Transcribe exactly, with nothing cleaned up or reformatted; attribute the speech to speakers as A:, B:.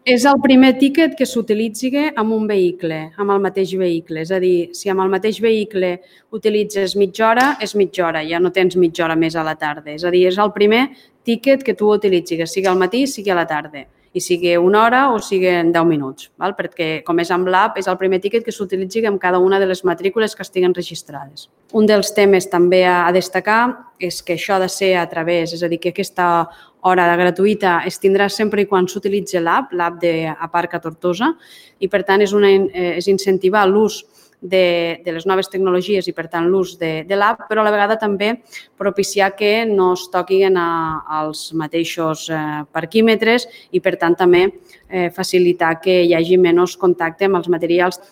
A: És el primer tíquet que s'utilitzi amb un vehicle, amb el mateix vehicle. És a dir, si amb el mateix vehicle utilitzes mitja hora, és mitja hora, ja no tens mitja hora més a la tarda. És a dir, és el primer tíquet que tu utilitzis, sigui al matí, sigui a la tarda, i sigui una hora o sigui en deu minuts, val? Perquè com és amb l'app, és el primer tíquet que s'utilitzi amb cada una de les matrícules que estiguen registrades. Un dels temes també a destacar és que això ha de ser a través, és a dir, que aquesta hora gratuïta es tindrà sempre i quan s'utilitzi l'app, l'app d'Aparca Tortosa, i per tant és, una, és incentivar l'ús de, de les noves tecnologies i per tant l'ús de, de l'app, però a la vegada també propiciar que no es toquin a, als mateixos eh, parquímetres i per tant també eh, facilitar que hi hagi menys contacte amb els materials